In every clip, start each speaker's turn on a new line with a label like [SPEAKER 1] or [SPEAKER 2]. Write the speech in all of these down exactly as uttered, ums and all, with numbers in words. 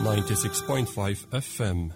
[SPEAKER 1] ninety-six point five F M.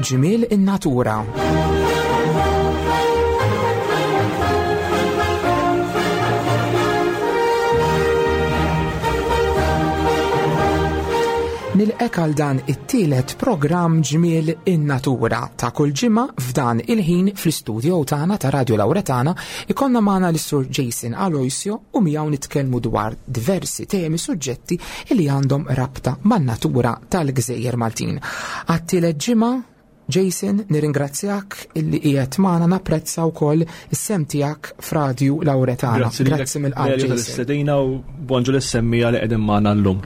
[SPEAKER 2] Ġmiel in-natura. Nilqek għal dan it-tielet programm Ġmiel in-Natura ta' kull ġimgħa f'dan il-ħin fl-istudio tagħna ta' Radio Lauretana ikonna magħna lis-Sur Jason Aloisio u miegħu nitkellmu dwar diversi temi suġġetti li għandhom rabta man-natura tal-Gżejjer Maltin. Għat-tielet ġimgħa, Jason, nirringrazzjak illi qiegħed magħna, napprezza wkoll is-sem tiegħek f'Radju Lauretana.
[SPEAKER 3] Grazzi lilek,
[SPEAKER 2] Grazzi mill-qalb,
[SPEAKER 3] Mario,
[SPEAKER 2] Jason.
[SPEAKER 3] tal-istedina u bonġu lis-semmija li qegħdin magħna llum.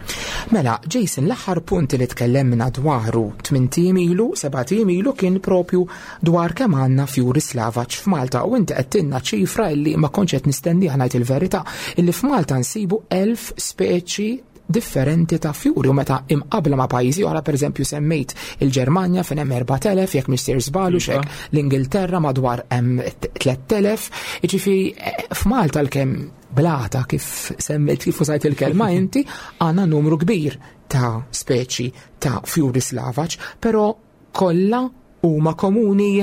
[SPEAKER 2] Mela, Jason, l-aħħar punt li tkellemna dwaru tmien ijiem ilu, seba' ijiem ilu kien propju dwar kemm għandna fjuri slavaġ f'Malta u inti qed tinna ċifra illi ma kontx qed nistenniha, ngħid il-verità, illi f'Malta nsibu elf speċi differenti ta' fjuri u meta imqabla ma' pajjiżi oħra, pereżempju semmejt il-Ġermanja fejn hemm erbat elef, jekk mhix sejr żball u
[SPEAKER 3] Iva.
[SPEAKER 2] xek, l-Ingilterra madwar hemm tliet elef, jiġifieri, eh, f'Malta l-kemm blata kif semmejt, kif użajt il-kelma inti, għandna numru kbir ta' speċi ta' fjuri slavaġ, però kollha huma komuni.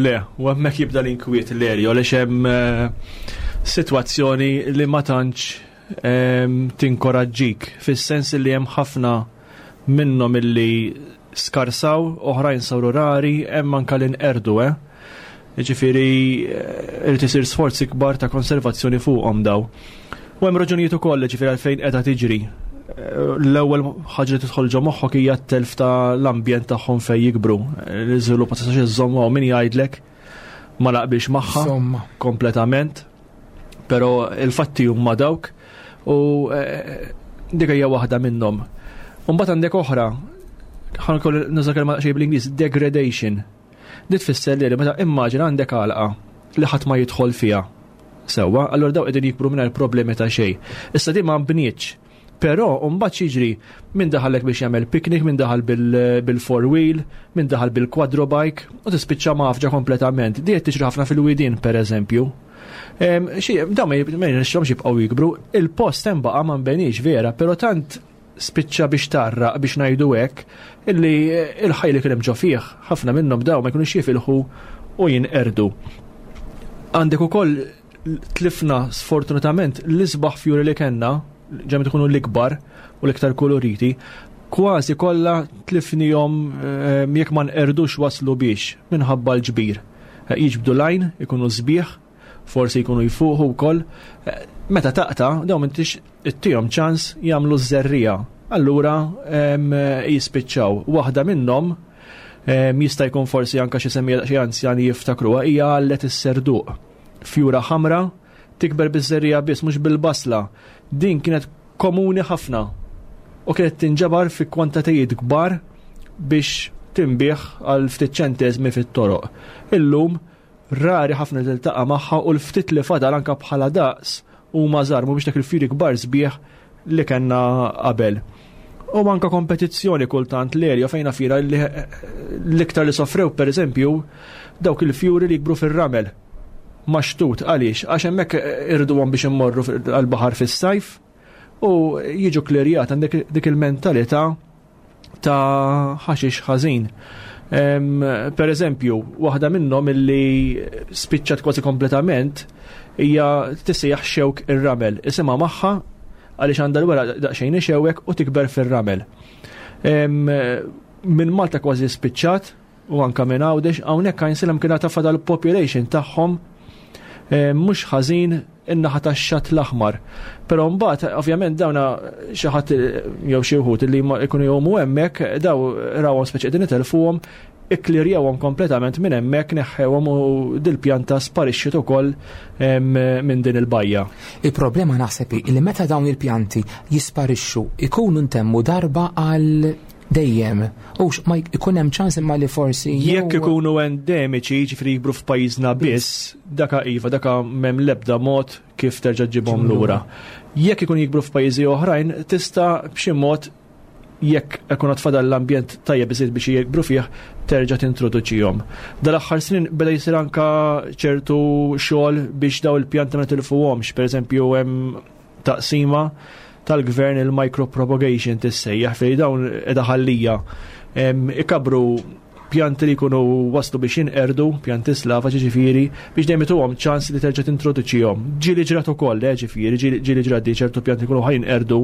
[SPEAKER 3] Le, u hemmhekk jibda l-inkwiet l-erja, għaliex hemm, eh, sitwazzjoni li ma tantx, ehm, tinkoraġġik, fis-sens li hemm ħafna minnhom illi skarsaw, oħrajn saru rari, hemm anke li nqerdu, eh? Jiġifieri, eh, irid isir sforzi kbar ta' konservazzjoni fuqhom daw. U hemm raġunijiet ukoll, jiġifieri għalfejn qiegħda tiġri. Eh, l-ewwel ħaġa li tidħol ġo moħħok hija t-telf ta' l-ambjent tagħhom fejn jikbru. Eh, l-iżvilupp ma tistax iżżomm hawn min jgħidlek ma naqbilx magħha
[SPEAKER 2] Insomma.
[SPEAKER 3] kompletament, però il-fatti huma dawk u, eh, dik hija waħda minnhom. U mbagħad għandek oħra, ħankoll nuża kelma xejn bl-Ingliż, degradation. Dit tfisser li meta immaġina għandek għalqa li ħadd ma jidħol fiha. Sewwa, allura daw qegħdin jikbru mingħajr problemi ta' xejn. Issa di ma nbnietx. Però mbagħad jiġri min daħallek biex jagħmel picnic, min daħal bil-, bil-four wheel, min daħal bil-quadro bike, u tispiċċa mafġa kompletament. Di qed tiġri ħafna fil-widien pereżempju. Em, xi, dawn ma jib-, ma jirnexxilhomx jibqgħu jikbru, il-post hemm baqa' ma nbenix vera, però tant spiċċa biex tarraq biex ngħidu hekk illi il-ħaj li kien hemm ġo fih, ħafna minnhom daw ma jkunux jifilħu u jinqerdu. Għandek ukoll tlifna sfortunatament l-isbaħ fjuri li kellna, ġemmi tkunu l-ikbar u l-iktar koloriti, kważi kollha tlifnihom, eh, jekk ma nqerdux waslu biex minħabba l-ġbir. Eh, jiġbdu lajn, ikunu sbieħ, forsi jkunu jfuħu wkoll. Eh, meta taqta', dawn m'intix ittihom ċans jagħmlu ż-żerrija. Allura, em, jispiċċaw. Waħda minnhom, em, jista' jkun forsi anke xi semmija xi anzjani jiftakruha, hija għallet is-serduq. Fjura ħamra tikber biż-żerrija biss, mhux bil-basla. Din kienet komuni ħafna u kienet tinġabar fi kwantitajiet kbar biex tinbigħ għal ftit ċenteżmi fit-toroq. Illum rari ħafna tiltaqa' magħha u l-ftit li fadal anke bħala daqs huma żgħar, mhumiex dak il-fjuri kbar sbieħ li kellna qabel. U anke kompetizzjoni kultant l-erja fejn fira li l-iktar li sofrew pereżempju dawk il-fjuri li jikbru fir-ramel. Maxtut, għaliex? Għax hemmhekk irduhom biex immorru fil-, għall-baħar fis-sajf u jiġu klerjat għandek dik il-mentalità ta' ħaxix ħażin. Em, per eżempju, waħda minnhom illi spiċċat kważi kompletament hija tissejjaħ xewk ir-ramel. Isimha magħha għaliex għandha l-weraq daqsxejn ixewwek u tikber fir-ramel. Minn Malta kważi spiċċat u anka minn Għawdex, hawnhekk Għajnsielem kien ta' fadal population tagħhom mhux ħażin in-naħa tax-Xatt l-Aħmar. Però mbagħad ovvjament dawna xi ħadd jew xi wħud li jkunu jgħumu hemmhekk daw rawhom speċi qegħdin itelfuhom, ikklirjawhom kompletament minn hemmhekk, neħħewhom u dil-pjanta sparixxiet ukoll minn din il-bajja.
[SPEAKER 2] Il-problema naħseb li meta dawn il-pjanti jisparixxu ikunu ntemmu darba għal dejjem. Ux ma jkun hemm ċans imma li forsi
[SPEAKER 3] jekk ikunu endemiċi, ġifieri jikbru f'pajjiżna biss, daka iva, daka m'hemm l-ebda mod kif terġa' ġibhom lura. Jekk ikun jikbru f'pajjiżi oħrajn, tista' b'xi mod, jekk ikun tfadal l-ambjent tajjeb biżejjed biex jikbru fih, terġa' tintroduċihom. Dal-aħħar snin beda jsir anka ċertu xogħol biex daw il-pjanti ma nitilfuhomx, pereżempju hemm taqsima tal-gvern, il-micropropagation tissejjaħ, fejn dawn qiegħda ħallija ikabru pjanti li jkunu waslu biex jinqerdu, pjanti slava ġifieri, biex dejjem ituhom ċans li terġa' tintroduċihom. Ġieli ġrat ukoll, eh, ġifieri, ġieli ġrat di ċertu pjanti jkunu ħa jinqerdu,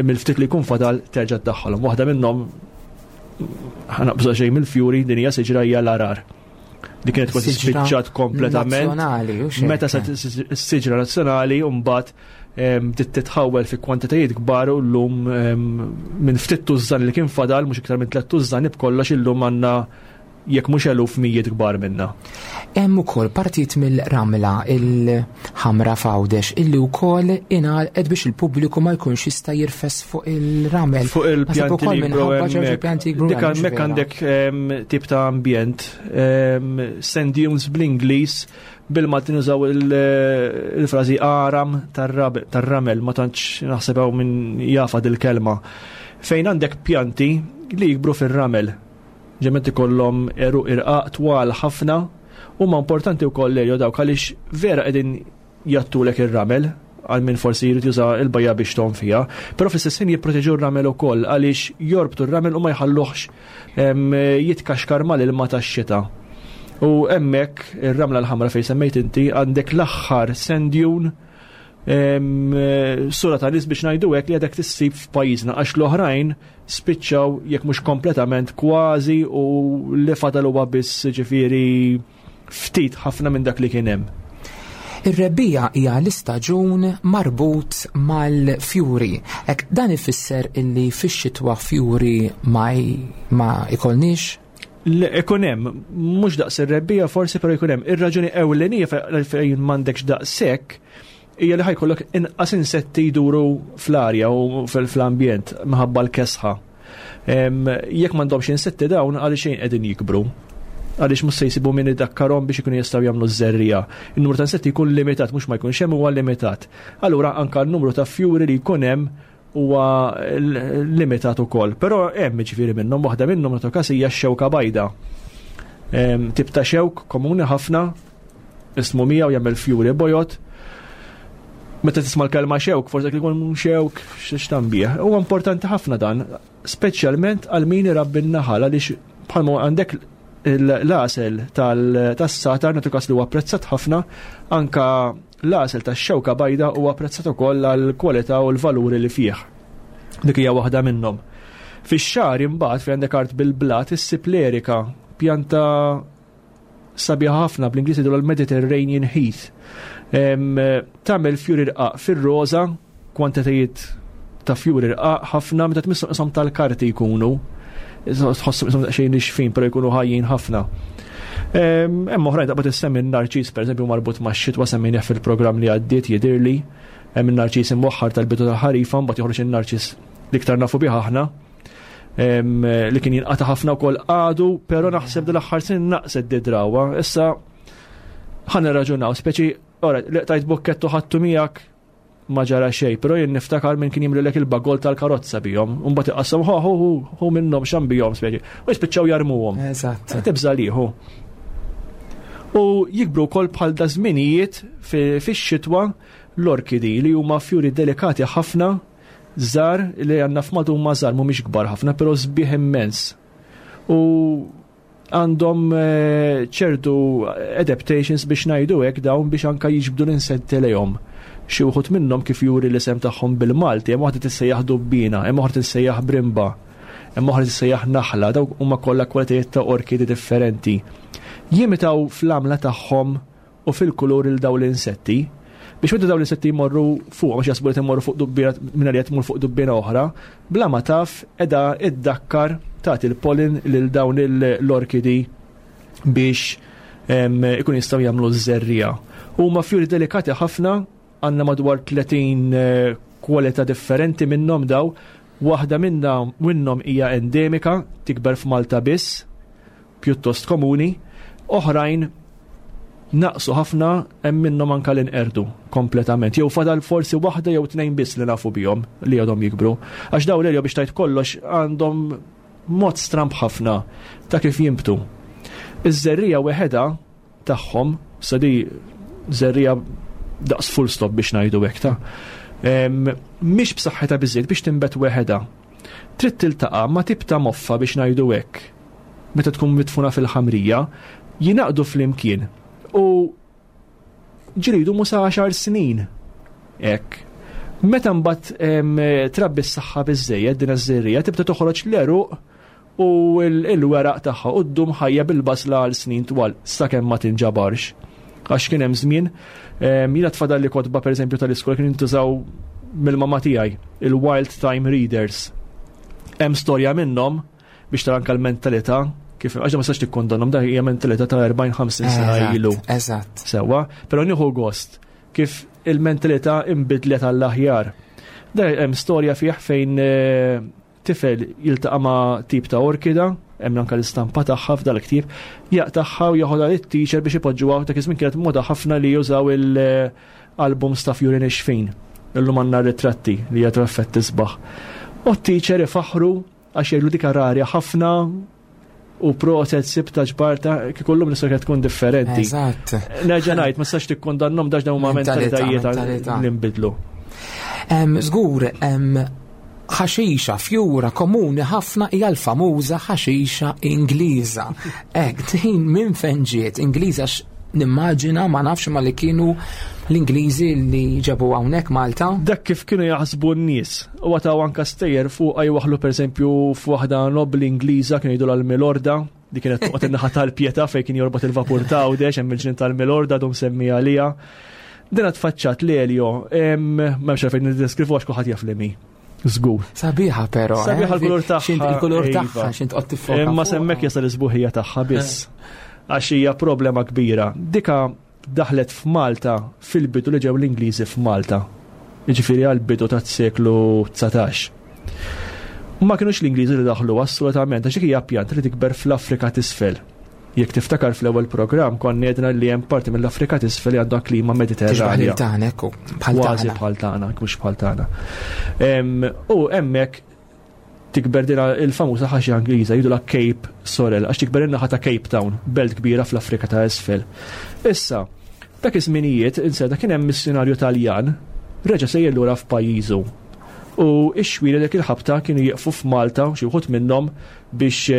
[SPEAKER 3] mill-ftit li jkun fadal terġa' tdaħħalhom. Waħda minnhom, ħa naqbżu xejn mill-fjuri, din hija siġra, hija l-għargħar. Di kienet kważi spiċċat kompletament. Meta sa siġra nazzjonali u mbagħad titħawel fi kwantitajiet kbar u llum minn ftit tużżan li kien fadal, mhux iktar minn tliet tużżan b'kollox, illum għandna jekk mhux eluf, mijiet kbar minna.
[SPEAKER 2] Hemm ukoll partijiet mill-ramla il-ħamra f'Għawdex illi wkoll ingħalqet biex il-pubbliku ma jkunx jista' jirfes fuq il-ramel.
[SPEAKER 3] Fuq il-pjanti li jikbru hemmhekk. Dik hemmhekk għandek tip ta' ambjent, sand dunes bl-Ingliż, bil-Malti nużaw il-frażi għaram tar-ramel, ma tantx naħseb hawn min jafha dil-kelma. Fejn għandek pjanti li jikbru fir-ramel. Ġement ikollhom għeruq irqaq twal ħafna, huma importanti wkoll li dawk għaliex vera qegħdin jattulek ir-ramel għal min forsi jrid juża l-bajja biex tgħum fiha, però fl-istess ħin jipproteġu r-ramel ukoll għaliex jorbtu r-ramel u ma jħalluhx jitkaxkar mal-ilma tax-xita. U hemmhekk ir-ramla l-ħamra fejn semmejt inti għandek l-aħħar sand dune sura ta' nies biex ngħidu hekk li għadek tissib f'pajjiżna, għax l-oħrajn spiċċaw jekk mhux kompletament kważi u li fadal huwa biss ġifieri ftit ħafna minn dak li kien hemm.
[SPEAKER 2] Ir-rebbija hija l-istaġun marbut mal-fjuri. Ek dan ifisser illi fix-xitwa fjuri ma, ma ikolniex?
[SPEAKER 3] Ikun hemm, mhux daqs ir-rebbija forsi, però jkun hemm. Ir-raġuni ewlenija fejn m'għandekx daqshekk hija li ħa jkollok inqas insetti jduru fl-arja u fl-ambjent minħabba l-kesħa. Jekk m'għandhomx insetti dawn, għaliex xejn qegħdin jikbru, għaliex mhux se jsibu min idakkarhom biex ikunu jistgħu jagħmlu ż-żerriegħa. In-numru ta' insetti jkun limitat, mhux ma jkunx hemm, huwa limitat. Allura anka n-numru ta' fjuri li jkun hemm huwa limitat ukoll. Però hemm ġifieri minnhom, waħda minnhom nagħtu każ hija x-xewka bajda. Tip ta' xewk komuni ħafna, ismu miegħu, jagħmel fjuri bojod. Meta tisma' l-kelma xewk, forsi jkun xewk x'tambih. Huwa importanti ħafna dan, speċjalment għal min irabbi n-naħal, għaliex bħalma għandek l-għasel tas-satar, nagħtu każ li huwa apprezzat ħafna, anka l-għasel tax-xewka bajda huwa apprezzat ukoll għall-kwalità u l-valuri li fih. Dik hija waħda minnhom. Fix-xagħri imbagħad fejn għandek art bil-blat issib l-erika, pjanta sabiħa ħafna, bl-Ingliż jgħidu l-Mediterranean Heath. Tagħmel fjuri rqaq fir-roża, kwantitajiet ta' fjuri rqaq ħafna, meta tmissu qishom tal-karti jkunu. Tħossu qishom daqsxejn nixfin, però jkunu ħajjin ħafna. Hemm oħrajn, taqbad issemmi n-narċis, pereżempju, marbut max-xitwa, semmejnieh fil-programm li għaddiet jidhirli. Hemm in-narċis imwaħħar tal-bidu tal-ħarifa, mbagħad joħroġ in-narċis l-iktar nafu bih aħna, li kien jinqata' ħafna wkoll għadu, però naħseb dal-aħħar sin naqset di drawa. Issa ħa nirraġunaw, speċi, ora, li tajt bukkettu ħattu miegħek ma ġara xejn, però jien niftakar minn kien jimlilek il-bagol tal-karozza bihom, u mbagħad iqassam ħu ħu ħu minnhom xam bihom speċi, u jispiċċaw jarmuhom.
[SPEAKER 2] Eżatt.
[SPEAKER 3] Tibża' liħu. U jikbru wkoll bħal da żminijiet fix-xitwa l-orkidi, li huma fjuri delikati ħafna, żgħar, li għandna f'Malta huma żgħar, mhumiex kbar ħafna, però sbieħ immens. U għandhom eh, ċertu adaptations biex ngħidu hekk dawn biex anka jiġbdu l-insetti lejhom. Xi wħud minnhom kif juri l-isem tagħhom bil-Malti, hemm waħda tissejjaħ dubbina, hemm oħra tissejjaħ brimba. Hemm oħra tissejjaħ naħla, dawk huma kollha kwalitajiet ta' orkidi differenti. Jimitaw fl-għamla tagħhom u fil-kulur il daw l-insetti biex meta dawn l-insetti jmorru fuq, għax jaħsbu li jmorru fuq dubbina minn li tmur fuq dubbina oħra, bla ma taf edha iddakkar tagħti il-pollen lil dawn l-orkidi biex ikun jistgħu jagħmlu ż-żerriegħa. Huma fjuri delikati ħafna, għandna madwar tletin eh, kwalità differenti minnhom daw, waħda minna minnhom hija endemika, tikber f'Malta biss, pjuttost komuni, oħrajn naqsu ħafna, hemm minnhom anka li nqerdu kompletament. Jew fadal forsi waħda jew tnejn biss li nafu bihom li għadhom jikbru. Għax daw l biex tajt kollox għandhom mod stramb ħafna ta' kif jinbtu. Iż-żerriegħa weħeda tagħhom, sa di żerriegħa daqs full stop biex ngħidu hekk ta' mhix b'saħħitha biżejjed biex tinbet weħeda. Trid tiltaqa' ma' tip ta' moffa biex ngħidu hekk. Meta tkun mitfuna fil-ħamrija, jingħaqdu flimkien u ġridu musa għaxar snin. Hekk. Meta mbagħad trabbi s-saħħa biżejjed din iż-żerriegħa tibda toħroġ l-għeruq u l-weraq tagħha u ddum ħajja bil-basla għal snin twal sakemm ma tinġabarx. Għax kien hemm żmien jiena tfadal li kotba pereżempju tal-iskola kien jintużaw mill-mama tiegħi, il-Wild Thyme Readers. Hemm storja minnhom biex tara anke l-mentalità kif għax ma sax tikkondannhom, da hija mentalità ta' erbgħin ħamsin sena ilu.
[SPEAKER 2] Eżatt.
[SPEAKER 3] Sewwa, però nieħu gost kif il-mentalità imbidlet għall-aħjar. Da hemm storja fih fejn eh, tifel jiltaqa' ma' tip ta' orkida, hemm anke l-istampa tagħha f'dal-ktieb, jaqtagħha u joħodha lit-teacher biex ipoġġuha. Dak iż-żmien kienet moda ħafna li jużaw il-albums ta' fjuri nixfin. Illum għandna ritratti li jagħtu effett isbaħ. U t-teacher ifaħru għax jgħidu dik rarja ħafna u proset sibta ġbarta, kieku llum l-istorja tkun differenti.
[SPEAKER 2] Eżatt.
[SPEAKER 3] Nerġa' ngħid, ma sax tikkondannhom dax dawn huma mentalitajiet li nbidlu.
[SPEAKER 2] Żgur, ħaxixa fjura komuni ħafna hija l-famuża ħaxixa Ingliża. Hekk, din minn fejn ġiet Ingliża? Nimmaġina ma nafx ma li kienu l-Ingliżi li ġabu hawnhekk Malta.
[SPEAKER 3] Dak kif kienu jaħsbu n-nies. U għataw anka stejjer fuq għaj pereżempju f'waħda nobli Ingliża kienu jgħidu l-Milorda, di kienet toqgħod in-naħa tal-Pietà fejn kien jorbot il-vapur ta' Għawdex, hemm il-ġnien tal-Milorda dum semmi għalija. Din tfaċċat l-Elio, m'hemmx għalfejn niddeskrivu għax kulħadd jaf li mi. Żgur.
[SPEAKER 2] Sabiħa però.
[SPEAKER 3] Sabiħa l-kulur tagħha.
[SPEAKER 2] Il-kulur tagħha x'int qod tiffoka.
[SPEAKER 3] Imma semmek jasal is-sbuħija tagħha biss. Għax hija problema kbira. Dika daħlet f'Malta fil-bidu li ġew l-Ingliżi f'Malta. Jiġifieri għall-bidu tas-seklu dsatax. Ma kienux l-Ingliżi li daħlu assolutament, għax dik hija pjanta li tikber fl-Afrika t'isfel. Jekk tiftakar fl-ewwel programm konna għedna li hemm parti mill-Afrika t'isfel li għandha klima Mediterranja.
[SPEAKER 2] Tixbaħ tagħna ekku, bħal
[SPEAKER 3] Kważi bħal tagħna, mhux bħal tagħna. U hemmhekk tikber dina il-famuża ħaxixa Ingliża jgħidu la Cape Sorrel, għax tikber in-naħa ta' Cape Town, belt kbira fl-Afrika ta' isfel. Issa, dak iż-żminijiet inseda kien hemm missjonarju Taljan reġa' sejjer lura f'pajjiżu. U x-xwieri dik il-ħabta kienu jieqfu f'Malta xi wħud minnhom biex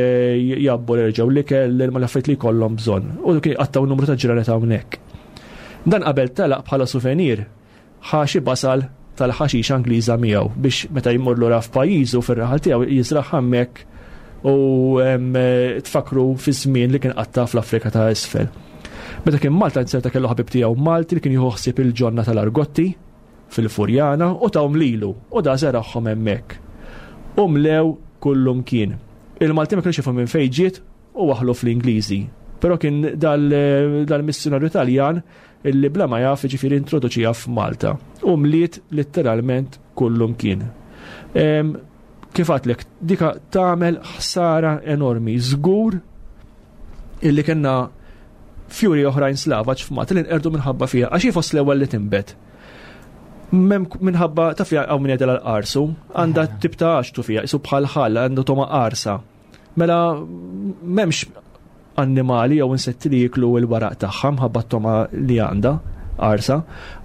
[SPEAKER 3] jabbu jerġgħu l-ikel l-ilma l-affarijiet li jkollhom bżonn. U kien qattaw numru ta' ġranet hawnhekk. Dan qabel telaq bħala souvenir ħa xi basal tal-ħaxixa Ingliża miegħu biex meta jmur lura f'pajjiżu fir-raħal tiegħu jiżraħ hemmhekk u tfakru fi żmien li kien qatta fl-Afrika ta' isfel. Meta kien Malta inserta kellu ħabib tiegħu Malti li kien jieħu ħsieb il-ġonna tal-Argotti fil-Furjana u tawm lilu u da żeragħhom hemmhekk. U mlew kullum kien. Il-Malti ma kienx jifhmu minn fejn ġiet u waħlu fl-Ingliżi. Però kien dal-missjonarju Taljan illi bla ma jaf ġifieri introduċija f'Malta. U mliet letteralment kullum kien. Kif għadtlek, dika tagħmel ħsara enormi. Żgur illi kellna fjuri oħrajn slavaġ f'Malta li nqerdu minħabba fiha, għax hi fost l-ewwel li tinbet. Minħabba ta' fiha hawn min jgħidilha l-qarsu, għandha tip ta' għaxtu fiha, isu bħal ħall, għandu toma qarsa. Mela m'hemmx annimali jew insetti li jiklu l-waraq tagħha mħabba t-toma li għandha qarsa,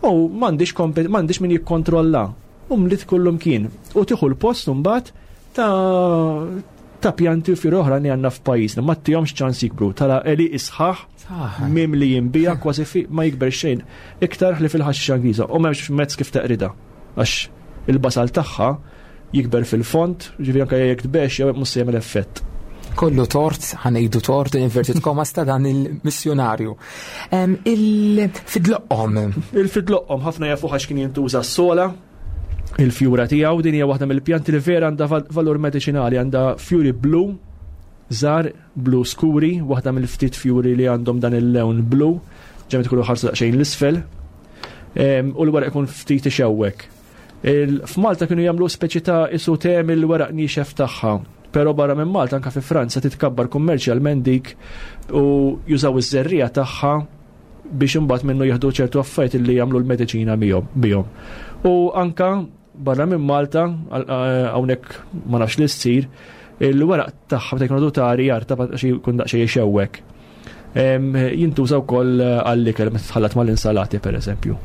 [SPEAKER 3] u m'għandix m'għandix min jikkontrolla. U mliet kullum kien. U tieħu l-post imbagħad ta' ta' pjanti u fjuri oħra li għandna f'pajjiżna, ma tihomx ċans jikbru, tara eli isħaħ mim li jinbija kważi fi ma jikber xejn iktar li fil-ħaxixa Ingliża u m'hemmx mezz kif teqrida għax il-basal tagħha Jikber fil-fond, ġifieri anke jekk tbex jew mhux se jagħmel effett.
[SPEAKER 2] Kollu tort, ħa ngħidu tort, inverted commas, ta' dan il-missjonarju. Il-fidloqqom.
[SPEAKER 3] Il-fidloqqom ħafna jafu għax kien jintuża s-sola, il-fjura tiegħu. Din hija waħda mill-pjanti li vera għandha valur mediċinali, għandha fjuri blu, żgħar blu skuri, waħda mill-ftit fjuri li għandhom dan il-lewn blu, ġemet ikunu ħarsu daqsxejn l-isfel, u l-weraq ikun ftit ixewwek. F'Malta kienu jagħmlu speċi ta' isu tem il-weraq niexef tagħha, però barra minn Malta, anka fi Franza, titkabbar kummerċjalment dik u jużaw iż-żerriegħa tagħha biex imbagħad minnu jieħdu ċertu affarijiet li jagħmlu l-mediċina bihom. U anka barra minn Malta, hawnhekk ma nafx li ssir, il-weraq tagħha meta jkunu tari jarta xi jkun daqsxejn jxewwek. Jintuża wkoll għall-ikel meta tħallat mal-insalati, pereżempju.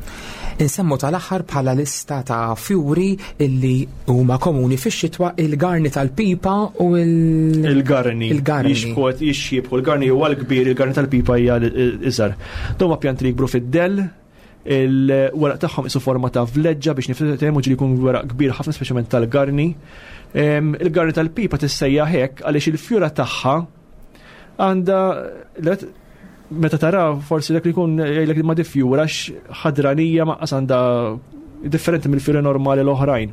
[SPEAKER 2] Insemmu tal-aħħar bħala lista ta' fjuri illi huma komuni fix-xitwa il-garni tal-pipa u il-
[SPEAKER 3] Il-garni.
[SPEAKER 2] Il-garni.
[SPEAKER 3] Jixbħu, jixxiebħu. Il-garni huwa l-kbir, il-garni tal-pipa hija iżgħar. Dawn huma pjanti li jikbru fid-dell, il-weraq tagħhom isu forma ta' vleġġa biex nifhmu, ġieli jkun weraq kbir ħafna, speċjalment tal-garni. Il-garni tal-pipa tissejjaħ hekk għaliex il-fjura tagħha għandha, meta tara, forsi dak li jkun jgħidlek ma di fjura ħadranija maqqas għandha, differenti mill-fjuri normali l-oħrajn.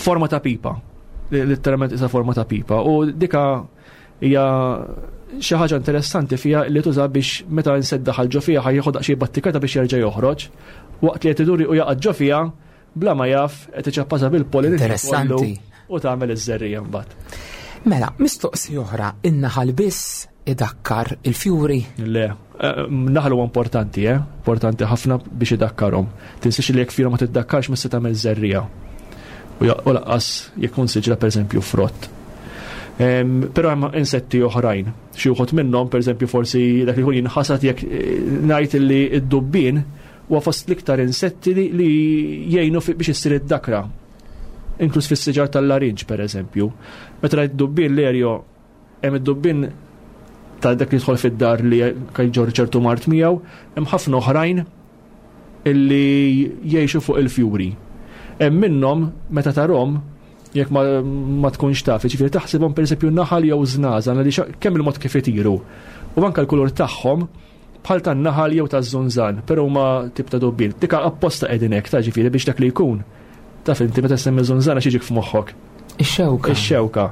[SPEAKER 3] Forma ta' pipa, letteralment isa forma ta' pipa u dika hija xi ħaġa interessanti fiha li tuża biex meta insett daħal ġo fiha ħa jieħu daqsxejn battikata biex jerġa' joħroġ. Waqt li qed iduri u jaqa' ġo fiha, bla ma jaf qed iċappasha bil-pollen
[SPEAKER 2] Interessanti.
[SPEAKER 3] u tagħmel iż-żerriegħa mbagħad.
[SPEAKER 2] Mela, mistoqsi oħra, in-naħal biss idakkar il-fjuri?
[SPEAKER 3] Le, eh, naħal huwa importanti, eh? Importanti ħafna biex idakkarhom. Tinsiex li jekk fjura ma tiddakkarx ma se tagħmel żerriegħa. U lanqas jekk kun siġra, pereżempju, frott. Però hemm insetti oħrajn. Xi wħud minnhom, pereżempju, forsi dak li jkun jinħasad jekk eh, ngħid li d-dubbien huwa fost l-iktar insetti li jgħinu biex issir id-dakra. Inkluż fis-siġar tal-larinġ, pereżempju. Meta rajt dubbien l-erjo, hemm id-dubbien ta' dak li jidħol fid-dar li jġorr ċertu mard miegħu, hemm ħafna oħrajn illi jgħixu fuq il-fjuri. Hemm minnhom meta tarhom, jekk ma, ma tkunx taf, ġifieri taħsibhom pereżempju naħal jew żnażan li kemm il-mod kif itiru. U anke l-kulur tagħhom bħal tan-naħal jew taż-żunżan, però huma tip ta' dubbien. Dika apposta qegħdin hekk ta' ġifieri biex dak li jkun. Taf inti meta semmi żunżana x'jiġik f'moħħok?
[SPEAKER 2] Ix-xewka.
[SPEAKER 3] Ix-xewka.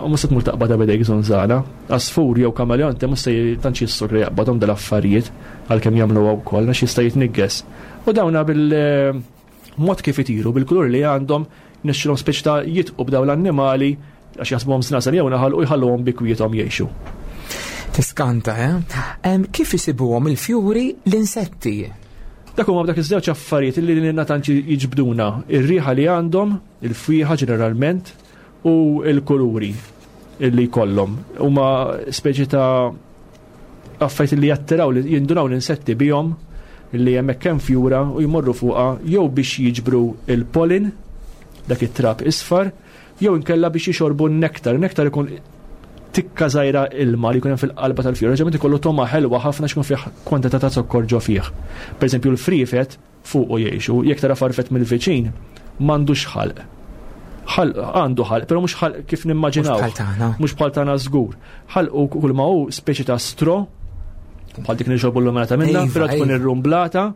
[SPEAKER 3] U mhux se tmur taqbadha b'idejk żunżana. Għasfur jew kameleonte mhux se tantx jissur li jaqbadhom dal-affarijiet, għalkemm jagħmluha wkoll għax jista' jitnigges. U dawna bil-mod kif itiru, bil-kulur li għandhom, nixxilhom speċi ta' jitqu b'daw l-annimali għax jaħsbuhom żnażan jew naħal u jħalluhom bi kwiethom jgħixu.
[SPEAKER 2] Tiskanta, eh? Kif isibuhom il-fjuri l-insetti?
[SPEAKER 3] Dak huma dak iż-żewġ affarijiet li lilna tant jiġbduna, ir-riħa li għandhom, il-fwieħa ġeneralment, u l-kuluri illi jkollhom. Huma speċi ta' affarijiet li jattiraw, li jindunaw l-insetti bihom li hemmhekk hemm fjura u jmorru fuqha jew biex jiġbru il-pollen, dak it-trab isfar, jew inkella biex jixorbu n-nektar. Nektar ikun tikka żgħira ilma li jkun hemm fil-qalba tal-fjura, ġeneralment ikollu togħma ħelwa ħafna x'ikun fih kwantità ta' zokkor ġo fih. Pereżempju l-friefet fuq u jgħixu, jekk tara farfet mill-viċin, m'għandux ħalq. Ħalq għandu ħalq, però mhux ħalq kif nimmaġinaw.
[SPEAKER 2] Mhux bħal tagħna.
[SPEAKER 3] Mhux bħal tagħna żgur. Ħalq u kull ma hu speċi ta' stro, bħal dik nixorbu l-luminata minna,
[SPEAKER 2] Iva,
[SPEAKER 3] però tkun
[SPEAKER 2] iva.
[SPEAKER 3] irrumblata,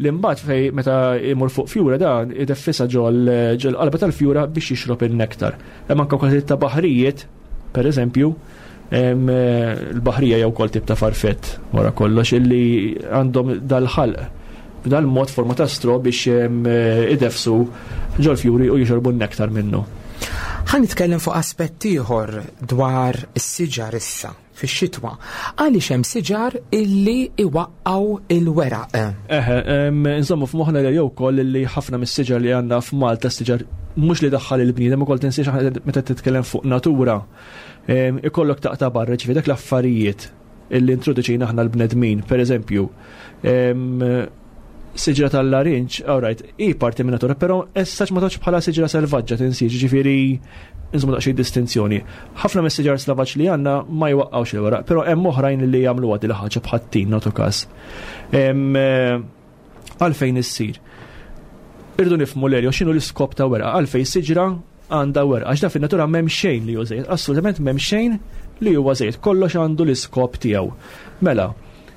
[SPEAKER 3] li mbagħad fej meta imur fuq fjura dan ideffisha ġol ġol qalba tal-fjura biex jixrob in-nektar. Hemm anke wkoll ta' baħrijiet, per eżempju, em, l-baħrija jew kol tip ta' farfett wara kollox illi għandhom dal-ħalq b'dal-mod forma ta' stro biex em, idefsu ġol fjuri u jixorbu n-nektar minnu.
[SPEAKER 2] Ħa nitkellem fuq aspett ieħor dwar is-siġar issa fix-xitwa. Għaliex hemm siġar illi iwaqqgħu il-weraq?
[SPEAKER 3] Eħe, em, insomma f'moħħna li jew ukoll li ħafna mis-siġar li għandna f'Malta, siġar mhux li daħħal il-bniedem ukoll, tinsiex aħna meta titkellem fuq natura, em, ikollok taqta' barra ġifieri dak l-affarijiet illi introduċejna aħna l-bnedmin, per eżempju, em, siġra tal-larinġ, all right, hi parti minn natura, però issa ma toċ bħala siġra selvaġġa, tinsiex, ġifieri insomma daqsxejn distinzjoni. Ħafna mis-siġar selvaġġ li għandna ma jwaqqgħux il-weraq, però hemm oħrajn li jagħmlu għadi ħaġa bħat-tin nagħtu każ. Em, eh, Għalfejn issir? Irridu nifhmu l x'inhu l-iskop ta' werqa, għalfejn siġra għandha werqa, għax da fin-natura m'hemm xejn li hu żejjed, assolutament m'hemm xejn li huwa żejjed, kollox għandu l-iskop tiegħu. Mela,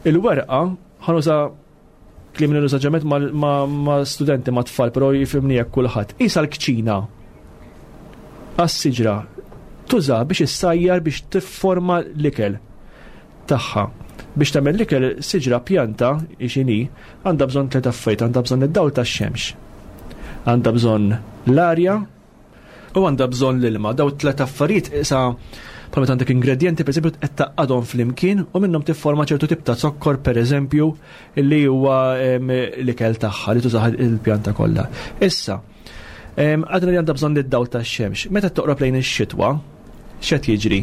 [SPEAKER 3] il-werqa, ħa nuża kliem li nuża ġemet ma' studenti, ma' tfal, però jifhimni jekk kulħadd. Isa l-kċina għas-siġra tuża biex issajjar, biex tifforma l-ikel tagħha. Biex tagħmel l-ikel, siġra, pjanta x'inhi, għandha bżonn tliet affarijiet: għandha bżonn id-dawl tax-xemx, għandha bżonn l-arja u għandha bżonn l-ilma. Daw tliet affarijiet isa bħal meta għandek ingredienti, pereżempju, qed tgħaqqadhom flimkien u minnhom tifforma ċertu tip ta' zokkor, pereżempju, li huwa l-ikel tagħha li tużaha il-pjanta kollha. Issa, għadna li għandha bżonn id-dawl tax-xemx. Meta toqrob lejn ix-xitwa, x'qed jiġri?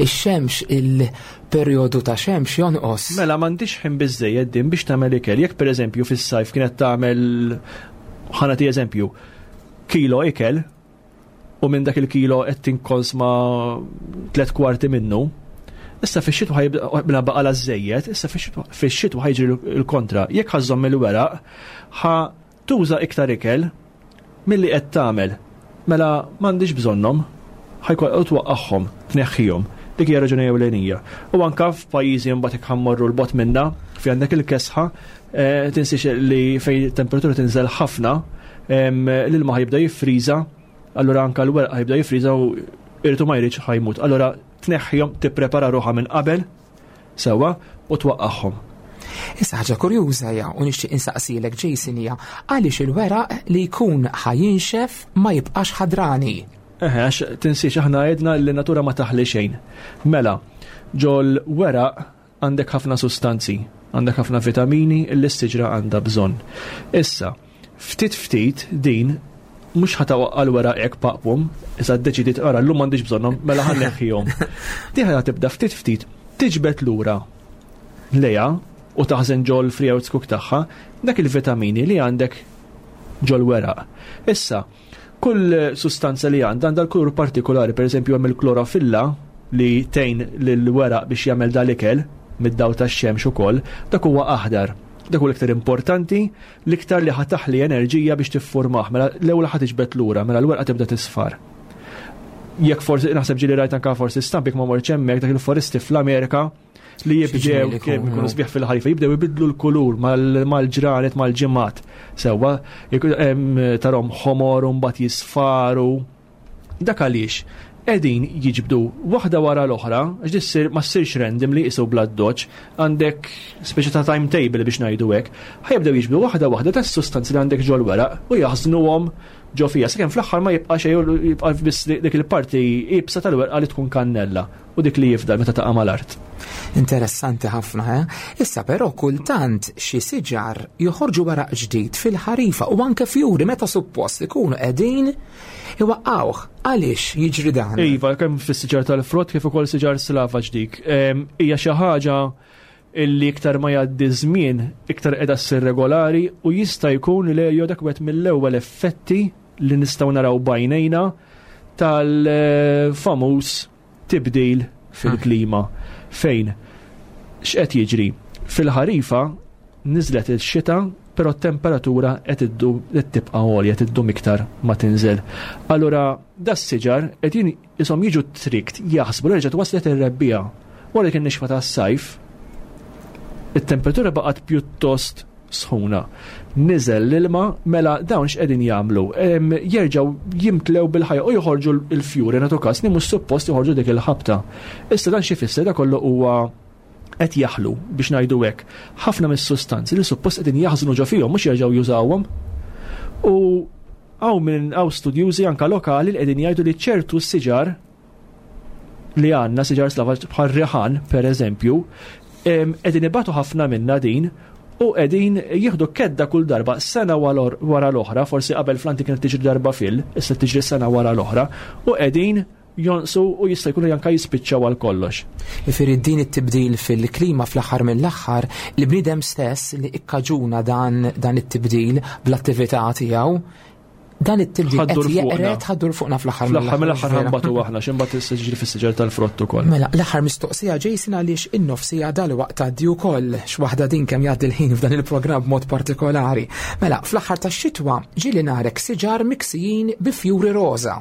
[SPEAKER 2] Ix-xemx, il-perjodu ta' xemx jonqos.
[SPEAKER 3] Mela m'għandix ħin biżejjed din biex tagħmel ikel. Jekk pereżempju fis-sajf kienet tagħmel, ħa nagħti eżempju, kilo ikel u minn dak il-kilo qed tinkonsma tliet kwarti minnu, issa fix-xitwa ħa baqa' żejjed, issa fix-xitwa ħa jiġri l-kontra. Jekk ħa żżomm il-weraq, ħa tuża iktar ikel milli qed tagħmel. Mela m'għandix bżonnhom, ħa jkollha twaqqagħhom, tneħħihom. Dik hija raġuni ewlenija. U anka f'pajjiżi mbagħad jekk ħa mmorru 'l bogħod minna, fi għandek il-kesħa, eh, tinsiex li fejn temperatura tinżel ħafna, l-ilma ħa jibda jiffriża, allura anka l-weraq ħa jibda jiffriża u irid ma jridx ħa jmut. Allura tneħħihom, tipprepara ruħha minn qabel sewwa u twaqqagħhom.
[SPEAKER 2] Issa ħaġa kurjuża hija u nixtieq insaqsilek, Jason, hija għaliex il-weraq li jkun ħa jinxef ma jibqax ħadrani?
[SPEAKER 3] Eħe, għax tinsiex aħna għedna li natura ma taħli xejn. Mela, ġol weraq għandek ħafna sustanzi, għandek ħafna vitamini li s-siġra għandha bżonn. Issa, ftit ftit din mhux ħa twaqqgħu l-weraq hekk paqpum, issa ddeċidiet ara llum m'għandix bżonnhom, mela ħa nneħħihom. Din ħa tibda ftit ftit tiġbed lura lejha u taħżen ġol free tagħha dak il-vitamini li għandek ġol weraq. Issa, kull sustanza li għandha għandha l-kulur partikolari, per eżempju hemm il-klorofilla li tgħin lill-weraq biex jagħmel dal-ikel mid-daw tax-xemx ukoll, dak huwa aħdar. Dak huwa l-iktar importanti, l-iktar li ħa taħli enerġija biex tiffurmah, mela l-ewwel ħa tiġbed lura, mela l-werqa tibda tisfar. Jekk forsi naħseb ġieli rajt anka forsi stampi ma morċ hemmhekk dak il-foresti fl-Amerika li jibdew kemm ikunu sbieħ fil-ħarifa, jibdew ibidlu l-kulur mal-ġranet, mal-ġimgħat. Sewwa, tarahom ħomor u mbagħad jisfaru. Dak għaliex qegħdin jiġbdu waħda wara l-oħra, għax dissir ma ssirx random li jisu bla doċ, għandek speċi ta' timetable biex ngħidu hekk, ħa jibdew jiġbdu waħda waħda tas sustanzi li għandek ġol weraq u jaħżnuhom ġo fija, sakemm fl-aħħar ma jibqa' xejn, jibqa' biss dik il-parti iebsa tal-werqa li tkun kannella u dik li jifdal meta taqa' mal-art.
[SPEAKER 2] Interessanti ħafna, eh? Issa però kultant xi siġar joħorġu weraq ġdid fil-ħarifa u anke fjuri meta suppost ikunu qegħdin iwaqqawh. Għaliex jiġri dan?
[SPEAKER 3] Iva, kemm fis-siġar tal-frott kif ukoll siġar slavaġ dik. Hija xi ħaġa illi iktar ma jgħaddi żmien iktar qiegħda ssir regolari u jista' jkun li dak wieħed mill-ewwel effetti li nistgħu naraw b'għajnejna tal-famuż tibdil fil-klima. Fejn x'qed jiġri? Fil-ħarifa niżlet il-xita, però t-temperatura qed iddum, qed tibqa' għolja, qed iddum iktar ma tinżel. Allura das-siġar qegħdin ishom jiġu tricked jaħsbu li reġgħet waslet ir-rebbiegħa. Wara kien nixfa tas-sajf, it-temperatura baqgħet pjuttost sħuna. Niżel l-ilma, mela dawn x'qegħdin jagħmlu? Jerġgħu jimtlew bil-ħajja u joħorġu l-fjuri, nagħtu każ li mhux suppost joħorġu dik il-ħabta. Issa dan xi fisser? Da kollu huwa qed jaħlu, biex ngħidu hekk, ħafna mis-sustanzi li suppost qegħdin jaħżnu ġo fihom mhux jerġgħu jużawhom. U hawn minn hawn studjużi anka lokali li qegħdin jgħidu li ċertu siġar li għandna, siġar slavaġ bħal riħan per eżempju, qegħdin ibatu ħafna minna din u qegħdin jieħdu kedda kull darba sena wara l-oħra, forsi qabel fl-antik kienet tiġri darba fil, issa tiġri sena wara l-oħra, u qegħdin jonqsu u jista' jkunu anka jispiċċaw għal kollox.
[SPEAKER 2] Jifieri din it-tibdil fil-klima fl-aħħar mill-aħħar li bniedem stess li ikkaġuna dan, dan it-tibdil bl-attività tiegħu. Dan it-tibdil
[SPEAKER 3] Ħa ddur
[SPEAKER 2] qed
[SPEAKER 3] fuqna.
[SPEAKER 2] jeqred, ħa ddur fuqna fl-aħħar.
[SPEAKER 3] Fl-aħħar mill-aħħar
[SPEAKER 2] vera.
[SPEAKER 3] ħa nbatu aħna, x'imbagħad issa ġiġri fis-siġar tal-frott ukoll.
[SPEAKER 2] Mela, l-aħħar mistoqsija, Jason, għaliex in-nofsija dal-waqt tgħaddi wkoll, x'waħda din kemm jgħaddi l-ħin f'dan il-programm b'mod partikolari. Mela, fl-aħħar tax-xitwa ġieli narek siġar miksijin bi fjuri roża.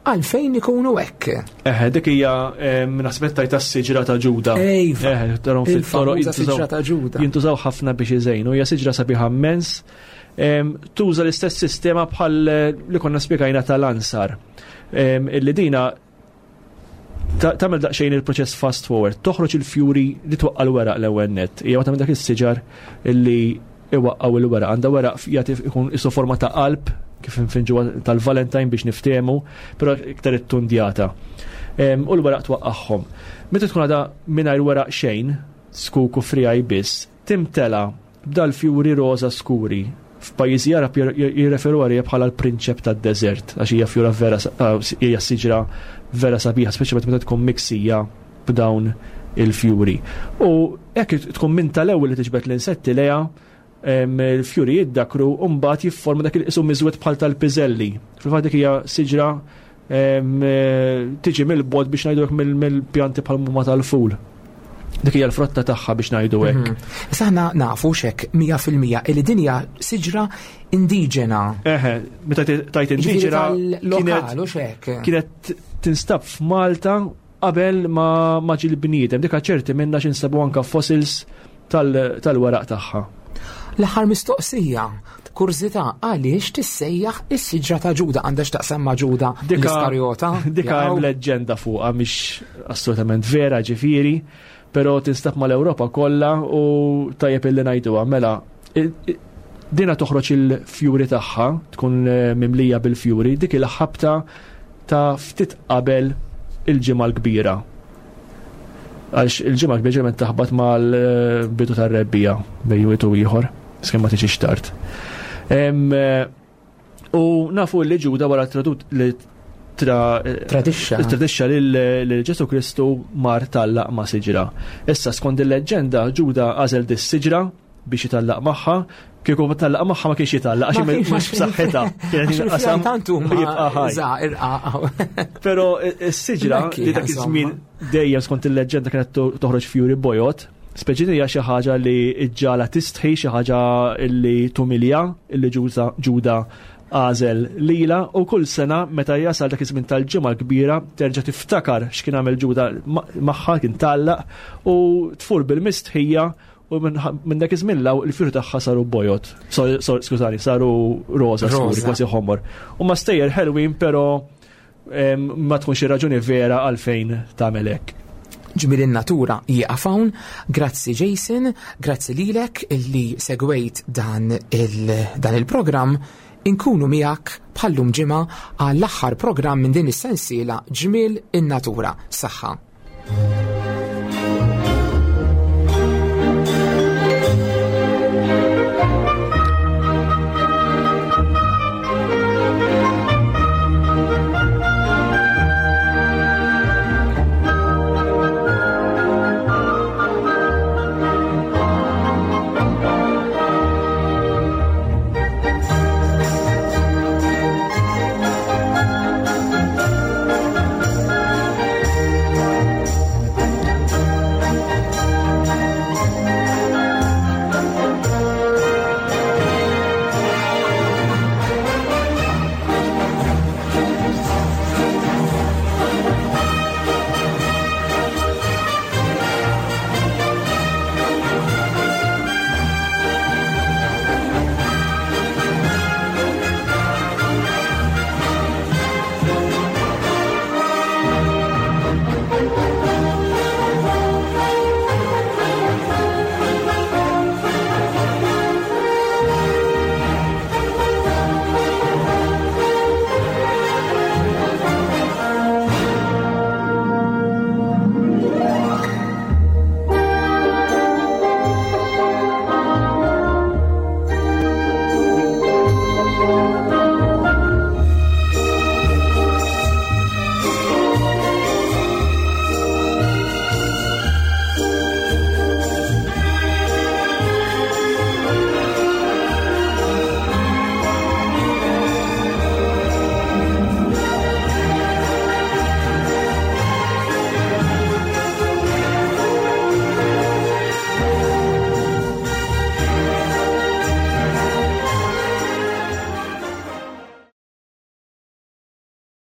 [SPEAKER 2] Għalfejn ikunu hekk?
[SPEAKER 3] Eħe, dik hija naħseb tajta s-siġra ta' Ġuda.
[SPEAKER 2] Ejva.
[SPEAKER 3] Eħe, tarahom fit-toroq
[SPEAKER 2] Il-famuża
[SPEAKER 3] jintużaw-
[SPEAKER 2] siġra ta' Ġuda.
[SPEAKER 3] Jintużaw ħafna biex iżejnu, hija siġra sabiħa immens. Em, Tuża l-istess sistema bħal eh, li konna spjegajna tal-ansar. Em, Illi dina ta- tagħmel daqsxejn il-proċess fast forward, toħroġ il-fjuri li twaqqa l-weraq l-ewwel net. Hija waħda minn dak is-siġar illi iwaqqaw il-weraq. Għandha weraq jagħti ikun isu forma ta' qalb kif infinġu tal-Valentine biex niftehmu, però iktar it-tundjata. Em, U l-weraq twaqqagħhom. Meta tkun għadha mingħajr weraq xejn, skuku frijaj biss, timtela b'dal-fjuri roża skuri. F'pajjiżi Arab jir- jirreferu għalija bħala l-prinċep tad-deżert, għax hija fjura vera, ah, hija siġra vera sabiħa, speċjalment meta tkun miksija b'dawn il-fjuri. U hekk tkun minn tal-ewwel li tiġbed l-insetti lejha, em, il-fjuri jiddakru u mbagħad jifforma dak il-qisu miżwed bħal tal-piżelli. Fil-fatt dik hija siġra em, eh, tiġi mill-bogħod biex ngħidu hekk mill- mill-pjanti bħal muma tal-ful. Dik hija l-frotta tagħha biex ngħidu hekk.
[SPEAKER 2] Mhm. Issa aħna nafu xek mija fil-mija li din hija siġra indiġena.
[SPEAKER 3] Eħe, meta tajt
[SPEAKER 2] Ġifieri
[SPEAKER 3] indiġena
[SPEAKER 2] tal-lokal u xek.
[SPEAKER 3] Kienet tinstab f'Malta qabel ma ma ġie l-bniedem. Dika ċerti minna x'insabu anka fossils tal- tal-weraq tagħha.
[SPEAKER 2] L-aħħar mistoqsija, kurżità, għaliex tissejjaħ is-siġra ta' Ġuda? Għandha x'taqsam ma' Ġuda
[SPEAKER 3] Dika-
[SPEAKER 2] l-Iskarjota?
[SPEAKER 3] Dika hemm
[SPEAKER 2] Jaqgħu?
[SPEAKER 3] leġġenda fuqha, mhix assolutament vera ġifieri, però tinstab mal-Ewropa kollha u tajjeb illi ngħiduha. Mela, i- i- dina toħroġ il-fjuri tagħha, tkun eh, mimlija bil-fjuri, dik il-ħabta ta' ftit qabel il-Ġimgħa l-Kbira. Għax il-Ġimgħa l-Kbira ġeneralment taħbat mal-bidu tar-rebbija bejn wieħed u ieħor, skemm ma tiġix tard. Em, eh, U nafu li Ġuda wara tradut li tra
[SPEAKER 2] Tradixxa.
[SPEAKER 3] Tradixxa lil lil Ġesu Kristu mar tallaq ma' siġra. Issa skont il-leġġenda Ġuda għażel dis siġra biex jitallaq magħha, kieku ma tallaq magħha ma kienx jitallaq għax
[SPEAKER 2] Ma kienx-
[SPEAKER 3] mhux b'saħħitha. Kienet
[SPEAKER 2] Għax
[SPEAKER 3] jinqasam
[SPEAKER 2] il-fjuri tantu
[SPEAKER 3] u jibqa'
[SPEAKER 2] ma
[SPEAKER 3] ħaj.
[SPEAKER 2] żgħar irqaq.
[SPEAKER 3] Però is-siġra
[SPEAKER 2] Mekki,
[SPEAKER 3] li dak
[SPEAKER 2] insomma.
[SPEAKER 3] iż-żmien dejjem skont il-leġġenda kienet to- toħroġ fjuri bojod, speċi hija xi ħaġa li ġġala tistħi, xi ħaġa li tumilja, illi Ġuda Ġuda għażel lila, u kull sena meta jasal dak iż-żmien tal-Ġimgħa l-Kbira terġa' tiftakar x'kien għamel Ġuda ma- magħha, kien tallaq, u tfur bil-mistħija, u minn minn dak iż-żmien law il-fjuri tagħha saru bojod. Sorry, sorry, skużani, saru roża skuri,
[SPEAKER 2] Roża.
[SPEAKER 3] kważi ħomor. U ma stejjer ħelwin, però em, ma tkunx raġuni vera għalfejn tagħmel hekk.
[SPEAKER 2] Ġmiel in-natura jieqaf hawn. Grazzi Jason, grazzi lilek illi segwejt dan il- dan il-programm. Inkunu miegħek bħallum ġimgħa għall-aħħar programm minn din is-sensiela Ġmiel in-Natura. Saħħa.